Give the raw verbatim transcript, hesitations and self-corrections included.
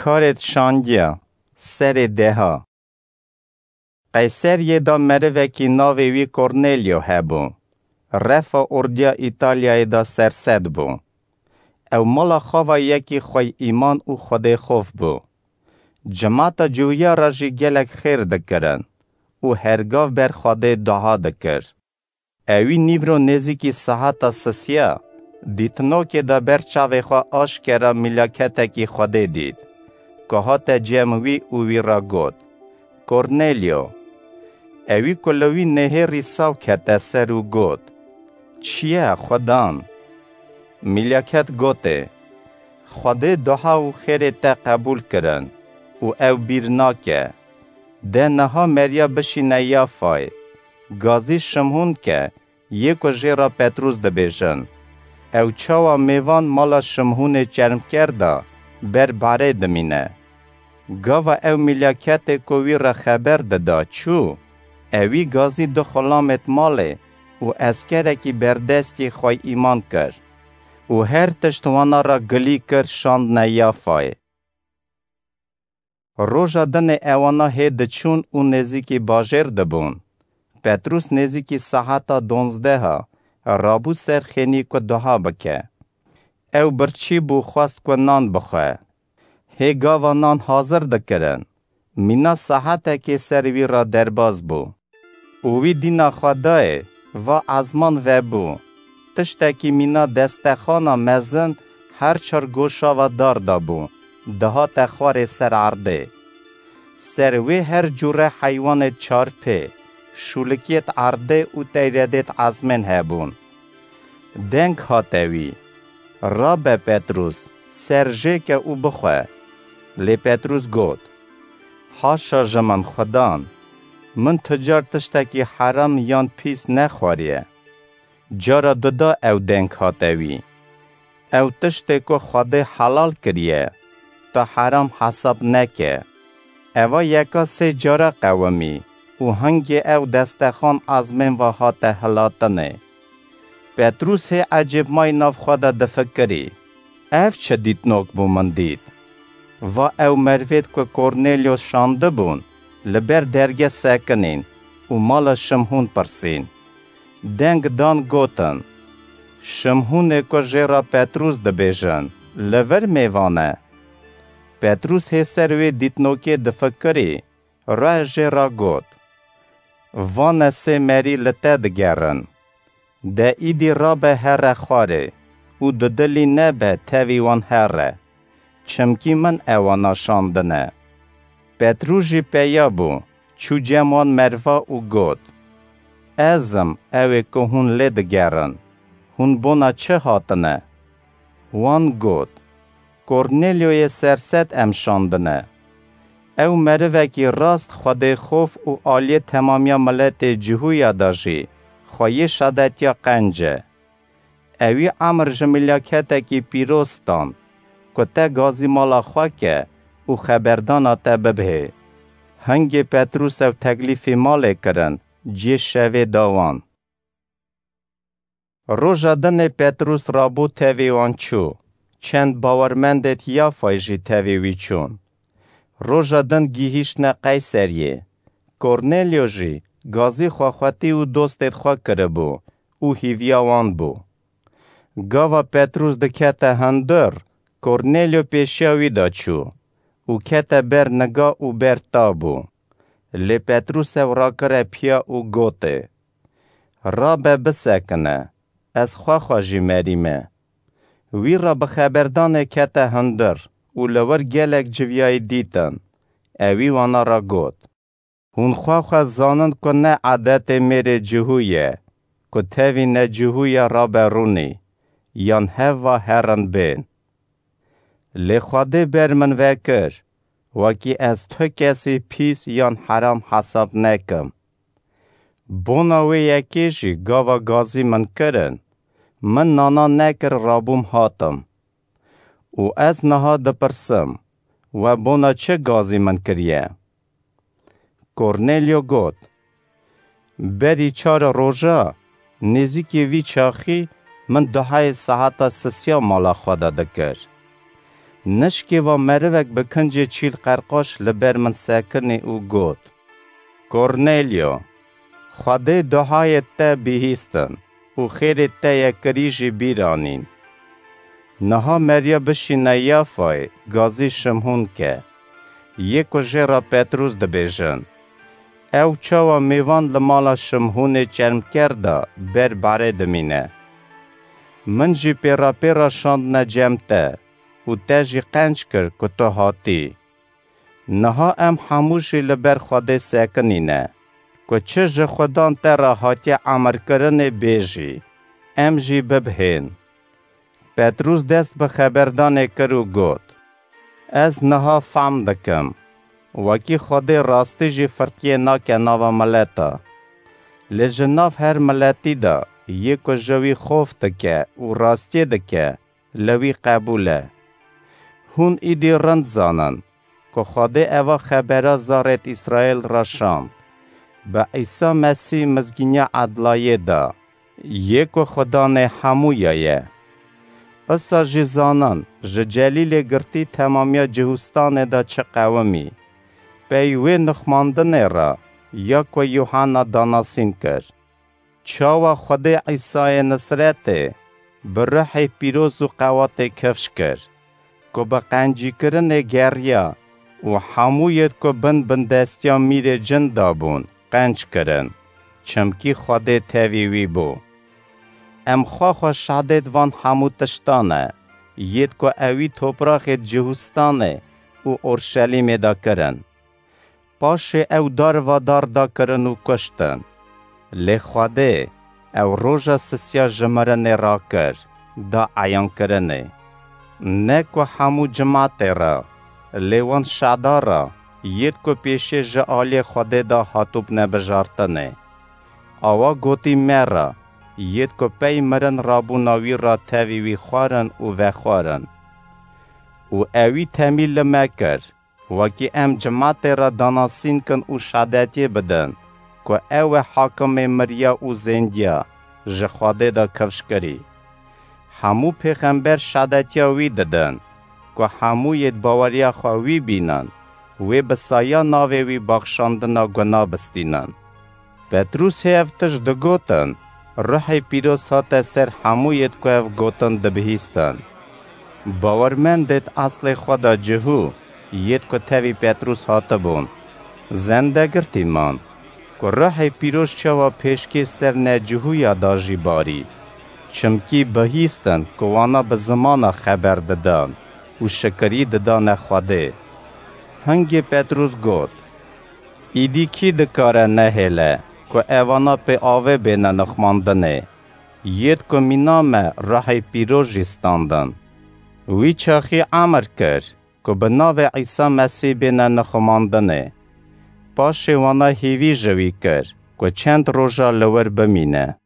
Karêt şangiya serê deha. Qeyseriyê de merivekî navê wî Kornelyo hebû. Refa ordiya Îtalyayê de sersed bû. Ew mala xwe ve yekî xwey îman û Xwedê xof bû. Cemata Cûwiya re jî gelek xêr dikirin û hergav ber Xwedê dua dikir. Ewî nîvro nêzîkî seheta sisiya, dîtinokê de ber çavê xwe aşkera mîlaketekî Xwedê dît, ku hate cem wî û wî re got, "Kornelyo!" Ewî ku li wî nehêrî saw kete ser û got, "Çi ye, Xwedan?" Mîlaket gotê, "Xwedê dua û xêrê te qebûl kirin û ew bîr nake. De niha meriya bişîne Yafayê. Gazî Şimhûn ke, yê ku jê re Petrûs dibêjin. Ew çawa mêvan mala Şimhûnê çermker de ber barê dimîne." Gava ew mîlaketê ku wî re xeber dida çû, ewî gazî du xulamêt malê û eskerekî berdestî xwey îman kir û her tişt wana re gilî kir şandine Yafayê. Roja dinê ewana hê diçûn û nêzîkî bajêr dibûn. Petrûs nêzîkî seheta donzdeha rabû ser xênî ku dua bike. Ew birçî bû, xwest ku nan bixwe. Hê gava nan hazir dikirin, mîna sehetekê ser wî re derbas bû. Û wî dîna xwe dayê, va ezman vebû. Tiştekî mîna destexana mezin her çar goşa ve dar dabû, dihate xwarê ser erdê. Ser wê her cûre heywanê çarpê, şûlikiyêt erdê û teyredêt ezmên hebûn. Deng hate wî, "Rabe Petrûs, ser jêke û bixwe." Lê Petrûs got, "Haşa ji min Xudan, min tu car tiştekî heram yan pîs nexwariye." Cara duda ew deng hate wî, "Ew tiştê ku Xwedê helal kiriye, tu heram hesab neke." Eva yeka sê cara qewimî û hingê ew destexan ezmên ve hate hilatinê. Petrûs hê ecêbmayî nav xwe de difikirî, "Ev çi dîtinok bû min dît?" Va ew merivêt ku Kornelyo şandibûn, li ber derge sekinîn û mala Şimhûn pirsîn. Deng dan gotin, "Şimhûnê ku jê re Petrûs dibêjin, li vir mêvan e." Petrûs hê ser wê dîtinokê difikirî, re jê re got, "Vane sê merî li te digerin. De îdî rabe here xwarê û dudilî nebe tevî wan here, çimkî min ewana şandine." Petrûs jî peya bû, çû cem wan merva û got, "Ez im ew ê ku hûn lê digerin. Hûn bona çi hatine?" Wan got, "Kornelyoyê serset em şandine. Ew merivekî rast Xwedê xof û aliyê temamiya miletê Cihûya de jî xweyê şadetiya qenc e. Ewî emir ji milaketekî pîroz stan, ku te gazî mala xwe ke û xeberdana te bibihê." Hingê Petrûs ew teklîfî malê kirin, cihê şevê da wan. Roja dinê Petrûs rabû tevî wan çû. Çend bawermendêt Yafayê jî tevî wî çûn. Roja din gihîştine Qeyseriyê. Kornelyo jî gazî xwexwetî û dostêt xwe kiribû û hîviya wan bû. Gava Petrûs dikete hundir, Kornelyo pêşiya wî de çû û kete ber niga û ber ta bû. Lê Petrûs ew rakire piya û gotê, "Rabe bisekine, ez xwe xwe jî merî me." Wî re bi xeberdanê kete hundir û li wir gelek civiyayî dîtin. Ewî wana re got, "Hûn xwe xwe zanin ku ne edetê mêrê cihû ye, ku tevî necihû ye rabe rûnî, yan hev va herin bên. Lê Xwedê ber min vekir, wekî ez tu kesî pîs yan heram hesab nekim. Bona wê yekê jî gava gazî min kirin, min nana nekir rabûm hatim. Û ez niha dipirsim, we bona çi gazî min kiriye?" Kornelyo got, "Berî çar roja, nêzîkî vî çaxî min duhayê saeta sisiya mala xwe de dikir. Nişkê va merivek bi kincê çîl qerqaş li ber min sekinî û got: "Kornelyo, Xwedê duhayê te bihîstin û xêrê te ye kirî jî bîr anîn. Niha meriya bişîne Yafayê, gazî Şimhûn ke, yê ku jê re Petrûs dibêjin. Ew çawa mêvan li mala Şimhûnê çermker de ber barê dimîne. Min jî pêrapêra şandine cem te û te jî qenc kir ku tu hatî. Niha em hemû jî li ber Xwedê sekinîne, ku çi ji Xudan te re hatiye emirkirinê bêjî, em jî bibihên." Petrûs dest bi xeberdanê kir û got: "Ez niha fehm dikim, wekî Xwedê rastî jî firqiyê nake nava mileta. Lê ji nav her miletî de yê ku ji wî xof dike û rastiyê dike, li wî qebûl e. Hûn îdî rind zanin ku Xwedê eva xebera zarêt Îsraîl re şand, bi Îsa Mesîh mizgîniya edlayê da, yê ku Xudanê hemûya ye. Isa jî zanin ji Celîlê girtî temamiya Cihûstanê de çi qewimî, pey wê nixmandinê re ya ku Yuhanna danasîn kir. Çawa Xwedê Îsayê Nisretê bi ruhê pîroz û qewatê kifş kir, ku bi qencîkirinê geriya û hemû yêd ku bin bindestiya mîrê cin de bûn, qenc kirin, çimkî Xwedê tevî wî bû. Em xwe xwe şahidêd van hemû tiştan e, yêd ku ewî topraxêd Cihûstanê û Orşelîmê de kirin. Paşê ew darvadar da kirin û kuştin. Lê Xwedê ew roja sisiya ji mirinê rakir, da eyankirinê. Ne ku hemû cimatê re, lê wan şada re, yêd ku pêşê ji aliyê Xwedê de hatûbne bijartinê. Awa gotî me re, yêd ku pey mirin rabûna wî re tevî wî xwarin û vexwarin. Û ewî temî li me kir, wekî em cimatê re danasîn kin û şadetiyê bidin, ku ew e hakimê miriya û zêndiya ji Xwedê de kifş kirî. Hemû pêxember şadetiya wî didin, ku hemû yêd baweriya xwe wî bînin, wê bi saya navê wî baxşandina guna bistînin. Petrûsê ev tişt digotin, Ruhê Pîroz hate ser hemû yêd ku ev gotin dibihîstin. Bawermendêd eslê xwe da cihû, yêd ku tevî Petrûs hatibûn, zendegirtî man, ku Ruhê Pîroz çawa pêşkê ser necihûya da jî barî. Çimkî bihîstin ku wana bi zimana xeber didan û şikirî didane Xwedê. Hingê Petrûs got: "Îdî kî dikare nehêle ku evana pê avê bêne nixmandinê, yêd ku mîna me Ruhê Pîroz jî standin?" Wî çaxî emir kir ku bi navê Îsa Mesîh bêne nixumandinê. Paşê wana hîvî ji wî kir ku çend roja li wir bimîne.